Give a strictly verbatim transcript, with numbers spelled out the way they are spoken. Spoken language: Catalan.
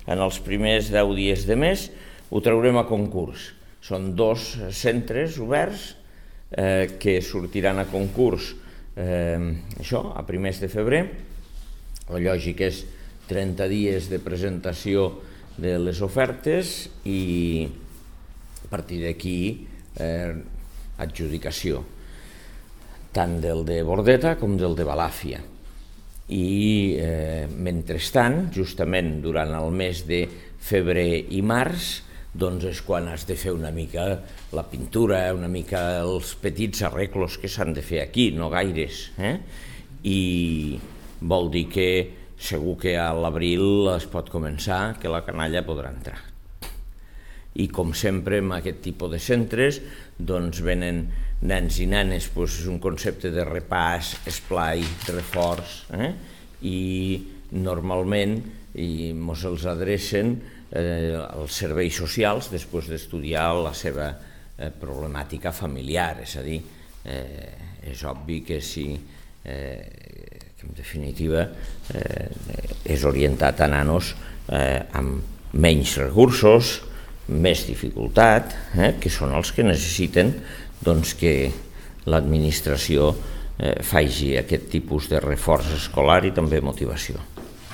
en els primers deu dies de mes ho traurem a concurs. Són dos centres oberts eh, que sortiran a concurs eh, això, a primers de febrer. La lògica és trenta dies de presentació de les ofertes i a partir d'aquí eh, adjudicació, tant del de Bordeta com del de Balàfia. I eh, mentrestant, justament durant el mes de febrer i març, doncs és quan has de fer una mica la pintura, una mica els petits arreglos que s'han de fer aquí, no gaires. Eh? I vol dir que segur que a l'abril es pot començar, que la canalla podrà entrar. I com sempre en aquest tipus de centres doncs venen nens i nenes, doncs és un concepte de repàs, esplai, reforç, eh? I normalment ens els adrecen eh, als serveis socials després d'estudiar la seva eh, problemàtica familiar, és a dir, eh, és obvi que si eh, que en definitiva eh, és orientat a nanos eh, amb menys recursos, més dificultat, eh, que són els que necessiten doncs, que l'administració eh, faci aquest tipus de reforç escolar i també motivació.